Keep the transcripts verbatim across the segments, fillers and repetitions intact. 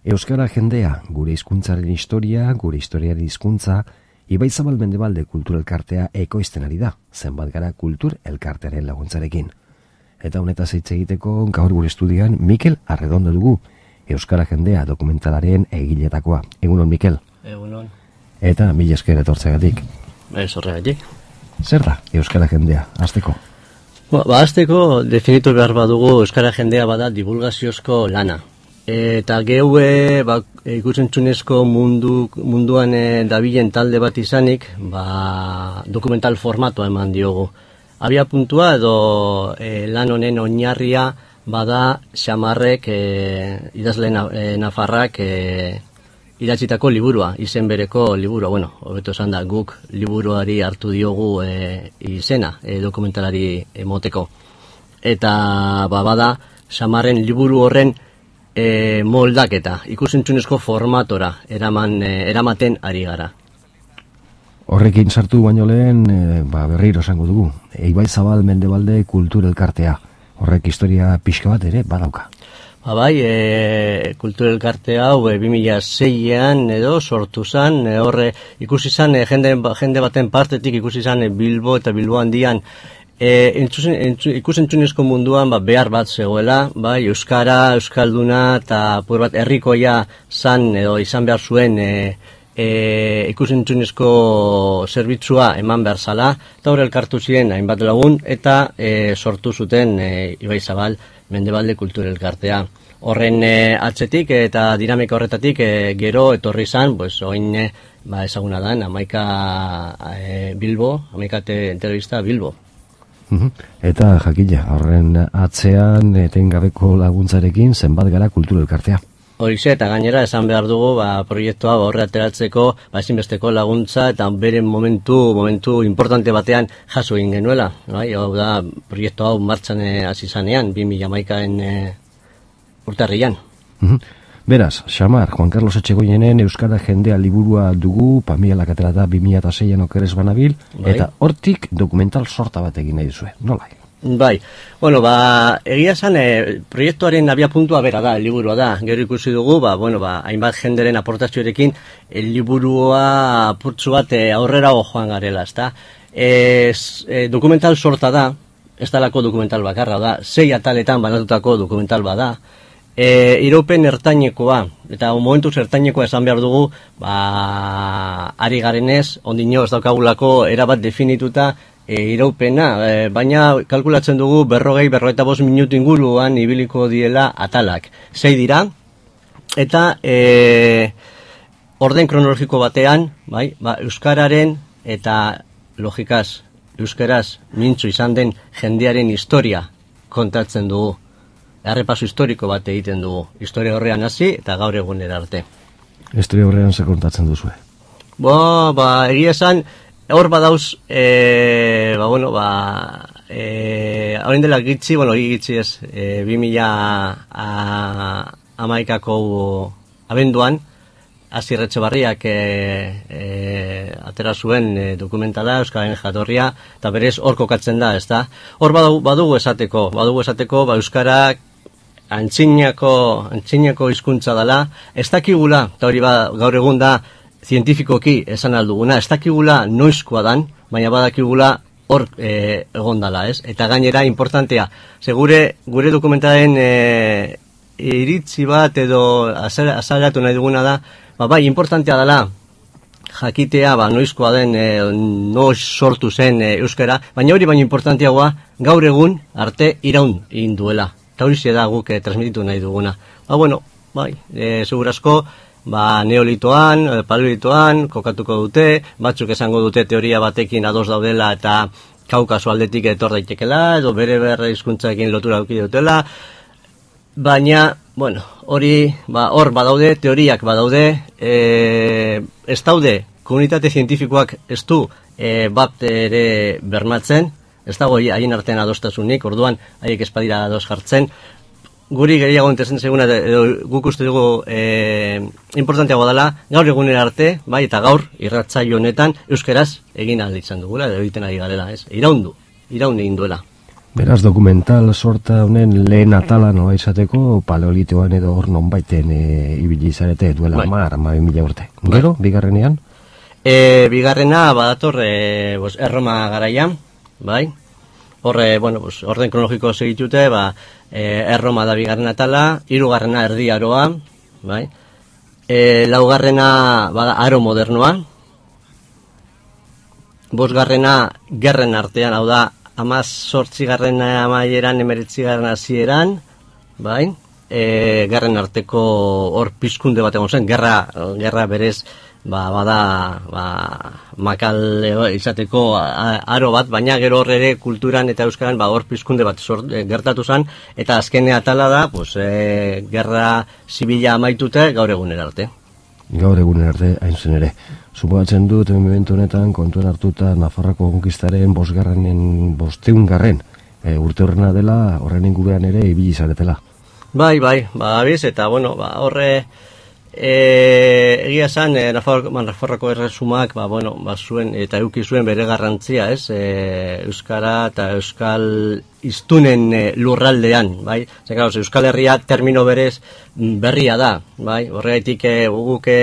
Euskara jendea, gure hizkuntzaren historia, gure historiaren hizkuntza, Ibaizabal Mendebalde Kultur Elkartea ekoizten ari da, zenbat gara kultur elkartearen laguntzarekin. Eta honetaz hitz egiteko gaur gure estudioan Mikel Arredondo dugu, Euskara jendea dokumentalaren egiletakoa. Egunon, Mikel? Egunon. Eta mila esker etortzeagatik. Ez horregatik. Zer da Euskara jendea, hasteko? Ba, ba hasteko definitu behar badugu Euskara jendea bada divulgaziozko lana. Eta geue ba, ikusentzunezko mundu, munduan e, dabilen talde bat izanik, ba, dokumental formatoa eman diogu. Abia puntua edo e, lan honen oinarria bada Xamarrek e, idazle na, e, nafarrak e, idatzitako liburua, izen bereko liburua. Bueno, hobeto esan da, guk liburuari hartu diogu e, izena e, dokumentalari emoteko. Eta ba, bada Xamarren liburu horren E, moldaketa, ikusentzunezko formatora eraman, e, eramaten ari gara. Horrekin sartu baino lehen, e, ba, berriro esango dugu, Ibaizabal Mendebalde Kultur Elkartea, horrek historia pixka bat ere badauka. Ba bai, e, kultur elkarte hau e, bi mila seian edo sortu zan, e, horre ikusi zan, e, jende, jende baten partetik ikusi zan e, Bilbo eta Bilbo handian, E, entzuzen, entzu, ikusentzunezko munduan ba, behar bat zegoela, bai, euskara, euskalduna eta apur bat herrikoia zan edo izan behar zuen e, e, ikusentzunezko zerbitzua eman behar zala, eta horre elkartu ziren hainbat lagun eta e, sortu zuten e, Ibaizabal Mendebalde Kultur Elkartea. Horren e, atzetik eta dinamika horretatik e, gero etorri zan, pues, oin e, ba, ezaguna da, Hamaika e, Bilbo, Hamaika telebista Bilbo. Eta jakila, horren atzean etengabeko laguntzarekin zenbat gara kultur elkartea. Horixe, eta gainera esan behar dugu ba, proiektua horre ateratzeko ba, ezinbesteko laguntza eta bere momentu momentu importante batean jaso egin genuela. Bai? Hau da, proiektu hau martxan hasi zanean, bi mila hamaikaen e, urtarrian. Beraz, Xamar, Juan Carlos Etxegoienen Euskara jendea liburua dugu, Pamielak atera da bi mila seian okerez banabil, bai. Eta hortik dokumental sorta bat egin nahi duzue, nola? Bai, bueno, ba, egia esan, e, proiektuaren abia puntua bera da, liburua da, gero ikusi dugu, ba, bueno, ba, hainbat jenderen aportazioarekin, el liburua apurtzu bat e, aurrera joan garela, ezta? E, e, dokumental sorta da, ez dalako dokumental bakarra da, sei ataletan banatutako dokumental bada, E, iraupen ertainekoa, eta momentuz ertainekoa esan behar dugu, ba, ari garenez, ondino ez daukagulako erabat definituta e, iraupena, e, baina kalkulatzen dugu berrogei, berrogeita bost minutu inguruan ibiliko diela atalak. Sei dira, eta e, orden kronologiko batean, bai, ba, euskararen eta logikaz, euskaraz mintzu izan den jendearen historia kontatzen dugu. Errepaso historiko bat egiten dugu. Historia horrean hasi eta gaur egunera arte. Historia horrean ze kontatzen duzue? Ba, ba, egia esan, hor badauz, e, ba, bueno, ba, e, haurin dela gitzi, bueno, gitzi ez, e, bi mila hamaikako abenduan, Asier Etxebarriak e, e, atera zuen e, dokumentala, Euskararen jatorria, eta berez hor kokatzen da, ez da? Hor badugu, badugu esateko, badugu esateko, ba, Euskarak antzinako, antzinako hizkuntza dela, ez dakigula, eta hori ba, gaur egun da, zientifikoki esan alduguna, ez dakigula noizkoa dan, baina badakigula hor e, egon dela, ez? Eta gainera, importantea, segure, gure dokumentaren e, iritzi bat edo azalatu nahi duguna da, ba, bai, importantea dela, jakitea, ba, noizkoa den, e, noiz sortu zen e, euskara, baina hori baina importanteagoa, gaur egun arte iraun egin duela. Eta hori da guk e, transmititu nahi duguna. Ba, bueno, bai, e, segurazko, ba, neolitoan, e, paleolitoan, kokatuko dute, batzuk esango dute teoria batekin ados daudela eta Kaukaso aldetik etor daitekela, edo bere berre hizkuntzaekin lotura eduki dutela, baina, bueno, hori, ba, hor badaude, teoriak badaude, e, ez daude, komunitate zientifikoak ez du e, bat ere bermatzen, ez dago haien artean adostasunik, orduan haiek espadira ados jartzen, guri gehiago entezen seguna, edo guk uste dugu e, importanteago dela, gaur egunera arte, bai, eta gaur, irratsaio honetan, euskeraz egin ahal izan dugula, edo egiten ari garela, ez? Iraundu, iraun egin duela. Beraz, dokumental sorta honen lehen atala nola izateko paleolitoan edo hor nonbaiten e, ibili zarete duela hamar, hamabi mila urte. Gero, bigarrenean? E, bigarrena badator e, bos, Erroma garaian, bai? Horre, bueno, bos, orden kronologiko segitute, ba, e, Erroma da bigarren atala, hirugarrena Erdi Aroa, bai? E, laugarrena bada aro modernoa, bosgarrena gerren artean, hau da, amaz sortzigarren amaieran, emeretzigarren hasieran, bai, e, gerren arteko hor pizkunde bat egon zen, gerra, gerra berez, ba, bada, ba, makal izateko aro bat, baina gero hor ere kulturan eta euskaran, ba, hor pizkunde bat sort, e, gertatu zen, eta azkene atala da, pues, e, gerra zibila amaitute gaur egunera arte. Gaur egunen arte, hain zen ere. Suposatzen dut, momentu honetan, kontuen hartuta Nafarroako konkistaren bosgarrenen, bosteungarren e, urte horrena dela, horren inguruan ere ibili zaretela. Bai, bai, ba, abiz, eta, bueno, ba, horre, e, egia esan, e, Nafarroako, Nafarroako erresumak, ba, bueno, ba, zuen, eta euki zuen bere garrantzia, ez, e, Euskara eta Euskal iztunen e, lurraldean, bai, zer, claro, Euskal Herria termino berez berria da, bai, horregatik e, guk e,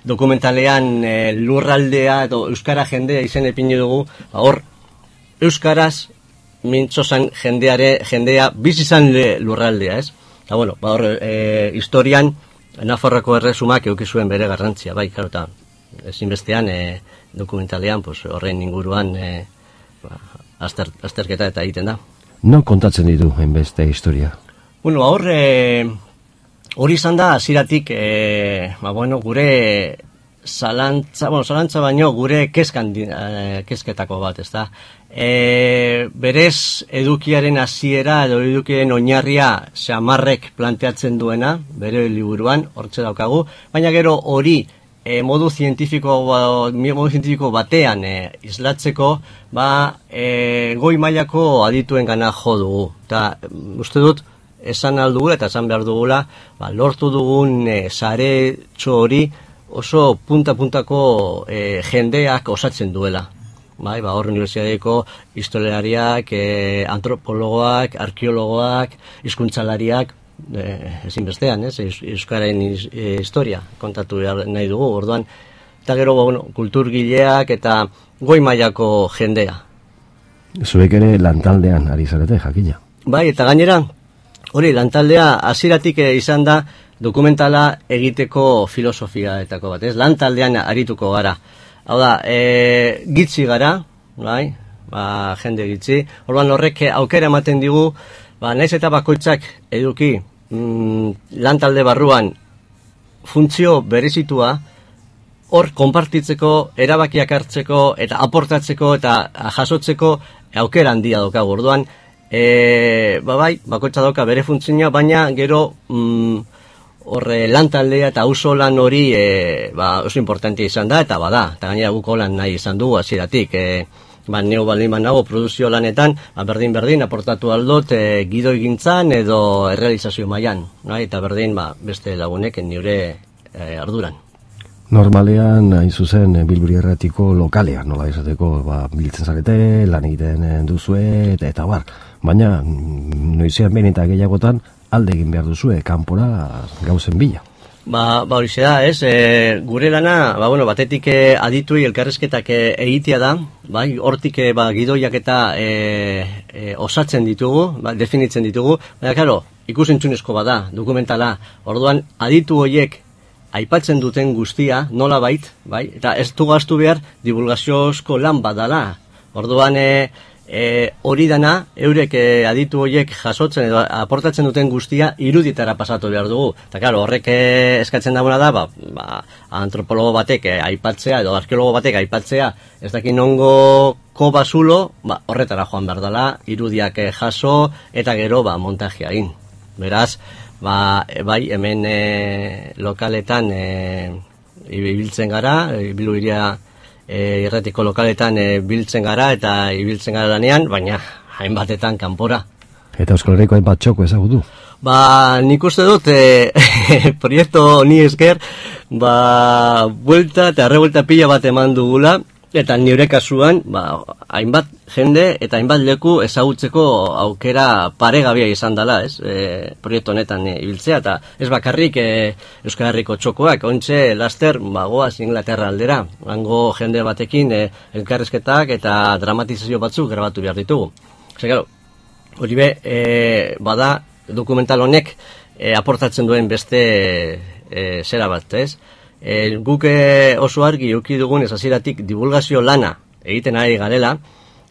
dokumentalean e, lurraldea edo euskara jendea izen epini dugu, ba, hor euskaraz mintzozan jendeare, jendea bizizan lurraldea, ez? Eta bueno, ba, hor e, historian Nafarroako erresumak eduki zuen bere garrantzia, bai, claro, eta ezinbestean e, dokumentalean pues, horren inguruan e, ba, azter, azterketa eta egiten da. No kontatzen ditu hainbeste historia? Bueno, hor e, hori izan da, hasieratik, e, ba, bueno, gure zalantza, bueno, zalantza baino, gure kezkan, e, kezketako bat, ez da. E, berez, edukiaren hasiera edo edukiaren oinarria Xamarrek planteatzen duena, bere liburuan, hortze daukagu, baina gero hori e, modu zientifiko, modu zientifiko batean e, islatzeko, ba, e, goi mailako adituen gana jo dugu. Eta, uste dut, esan aldugula eta esan behar dugula, ba, lortu dugun e, sare txori oso punta-puntako e, jendeak osatzen duela. Bai, ba, hor unibertsitateko historialariak, e, antropologoak, arkeologoak, hizkuntzalariak, e, ezinbestean, ez, euskaren e, historia kontatu nahi dugu, orduan, eta gero, bueno, kulturgileak eta goi mailako jendea. Zuek ere lantaldean ari zarete, jakina. Bai, eta gainera, hori, lantaldea hasieratik izan da dokumentala egiteko filosofiaetako bat, ez? Lantaldean arituko gara. Hau da, e, gitzi gara, bai? Ba, jende gitzi. Orduan horrek aukera ematen digu, ba, naiz eta bakoitzak eduki mm, lantalde barruan funtzio berezitua, hor konpartitzeko, erabakiak hartzeko eta aportatzeko eta jasotzeko aukera handia daukagu. Orduan, E, ba bai, bakoitza dauka bere funtzioa, baina gero mm, horre lantaldea eta auzo lan hori e, ba, oso importante izan da, eta bada, eta gainera guk lan nahi izan dugu hasieratik. E, ba, neu baldin nago produzio lanetan, ba, berdin-berdin aportatu aldot e, gidoi gintzan edo errealizazio mailan, bai? Eta berdin ba, beste lagunek nire e, arduran. Normalean, hain zuzen, Bilburi Erratiko lokalean, nola izateko, ba, biltzen zarete, lan egiten duzue, eta, eta bar. Baina, noizean behin eta gehiagotan, alde egin behar duzue, kanpora gauzen bila. Ba, ba hori da, ez, e, gure lana, ba, bueno, batetik e, adituei elkarrezketak e, egitea da, bai, hortik e, ba, gidoiak eta e, e, osatzen ditugu, ba, definitzen ditugu, baina, karo, ikusentzunezko bada, dokumentala, orduan, aditu horiek aipatzen duten guztia, nola bait, bai, eta ez du gaztu behar divulgaziozko lan badala. Orduan, e, e, hori dana, eurek e, aditu horiek jasotzen edo aportatzen duten guztia iruditara pasatu behar dugu. Eta, claro, horrek e, eskatzen dagoena da, ba, ba, antropologo batek e, aipatzea edo arkeologo batek aipatzea, ez dakin ongo ko basulo, ba, horretara joan behar dela, irudiak e, jaso eta gero ba, montajea egin. Beraz, ba, e, bai, hemen e, lokaletan e, ibiltzen gara, ibilu iria e, irratiko lokaletan e, biltzen gara eta ibiltzen gara lanean, baina hainbatetan kanpora. Eta Euskal Herriko hainbat txoko ezagutu? Ba, nik uste dut, e, proiektu ni esker, ba, buelta eta arrebuelta pila bat eman dugula, Eta nire kasuan, ba, hainbat jende eta hainbat leku ezagutzeko aukera paregabia izan dela, ez? E, proiektu honetan e, ibiltzea, eta ez bakarrik e, Euskal Herriko txokoak, ontxe laster, ba, goaz Inglaterra aldera, hango jende batekin e, elkarrezketak eta dramatizazio batzuk grabatu behar ditugu. Zer, gero, hori be, e, bada, dokumental honek e, aportatzen duen beste e, zera bat, ez? E, guk oso argi uki dugun ez hasieratik divulgazio lana egiten ari garela,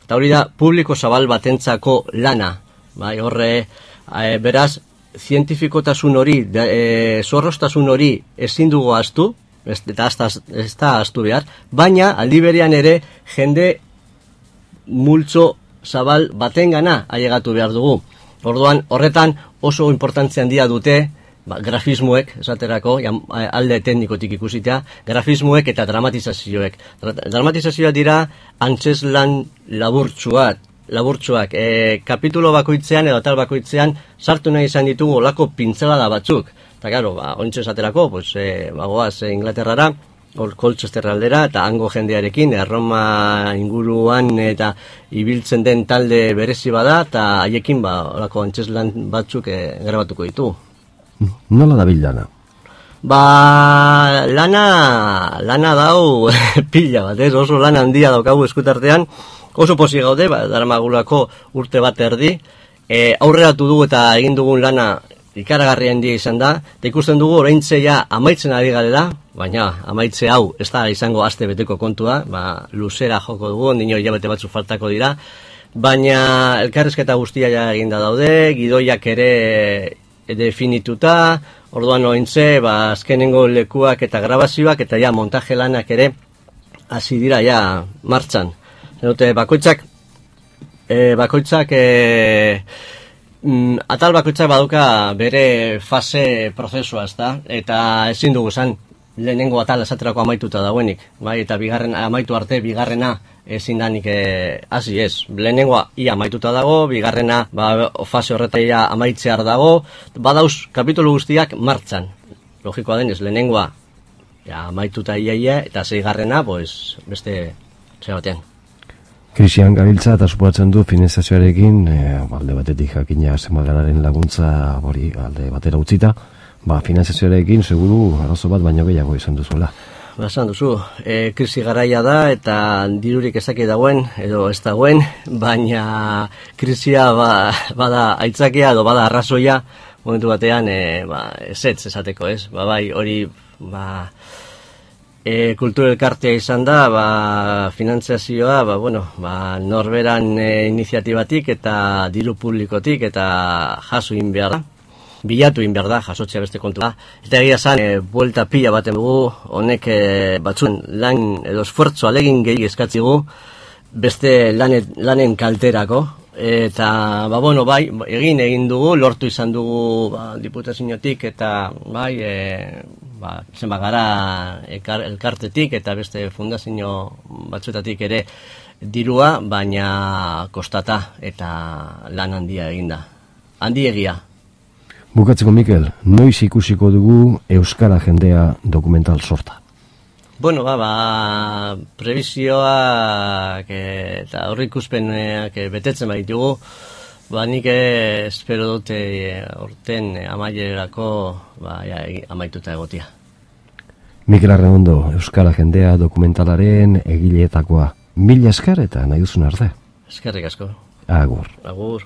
eta hori da publiko zabal batentzako lana, bai, horre, e, beraz, zientifikotasun hori, e, zorroztasun hori ezin dugu ahaztu, eta ez da ahaztu behar, baina aldi berean ere jende multzo zabal batengana ailegatu behar dugu. Orduan, horretan oso importantzia handia dute, ba, grafismoek, esaterako, alde teknikotik ikusitea, grafismoek eta dramatizazioek. Dramatizazioak dira antzeslan laburtsuak, laburtsuak. E, kapitulo bakoitzean edo tal bakoitzean sartu nahi izan ditugu olako pintzelada batzuk. Eta gero, ba, ontsa esaterako, pues, e, bagoaz e, Inglaterrara, Colchester aldera, eta hango jendearekin, Erroma inguruan eta ibiltzen den talde berezi bada, eta haiekin ba, olako antzeslan batzuk e, grabatuko ditugu. Nola dabil lana? Ba, lana, lana dau pila bat, ez? Oso lan handia daukagu eskutartean, oso posi gaude, ba, daramagulako urte bat erdi, e, aurreratu dugu eta egin dugun lana ikaragarria handia izan da, eta ikusten dugu oraintzeia amaitzen ari garela, baina amaitze hau ez da izango aste beteko kontua, ba, luzera joko dugu, ondino hilabete batzu faltako dira, baina elkarrizketa guztia ja eginda daude, gidoiak ere definituta, orduan ointze, ba, azkenengo lekuak eta grabazioak eta ja montaje lanak ere hasi dira ja martxan. Dute, bakoitzak, e, bakoitzak, e, mm, atal bakoitzak baduka bere fase prozesua, ezta? Eta ezin dugu zan, lehenengo atal esaterako amaituta dauenik, bai? Eta bigarren amaitu arte, bigarrena ezin danik hasi ez. Lehenengoa ia amaituta dago, bigarrena ba, fase horretaia amaitzear dago, badauz kapitulu guztiak martxan. Logikoa denez, lehenengoa ja, amaituta iaia, eta zeigarrena, pues, beste zera batean. Krisian gabiltza eta suposatzen du finanziazioarekin, e, alde batetik jakina zenbagararen laguntza hori alde batera utzita, ba, finanziazioarekin seguru arazo bat baino gehiago izan duzuela. Basan duzu, e, krisi garaia da eta dirurik ezaki dagoen edo ez dagoen, baina krisia ba, bada aitzakia edo bada arrazoia momentu batean e, ba, ezetz esateko, ez? Ba, bai, hori ba, e, kultura elkartea izan da, ba, finanziazioa, ba, bueno, ba, norberan e, iniziatibatik eta diru publikotik eta jaso egin behar da. Bilatu egin behar da, jasotzea beste kontu da. Eta egia zan, e, buelta pila baten dugu, honek e, batzuen lan edo esfuertzo alegin gehi eskatzigu, beste lanet, lanen kalterako. Eta, ba, bueno, bai, egin egin dugu, lortu izan dugu ba, diputaziotik eta, bai, e, ba, zenba gara elkar, elkartetik eta beste fundazio batzuetatik ere dirua, baina kostata eta lan handia eginda. Handi egia. Bukatzeko, Mikel, noiz ikusiko dugu euskara jendea dokumental sorta? Bueno, ba, ba prebizioak eta aurreikuspenak betetzen baitugu, ba, nik espero dute orten amaierako ba, ja, amaituta egotia. Mikel Arredondo, euskara jendea dokumentalaren egileetakoa. Mila esker eta nahi duzun arte. Eskerrik asko. Agur. Agur.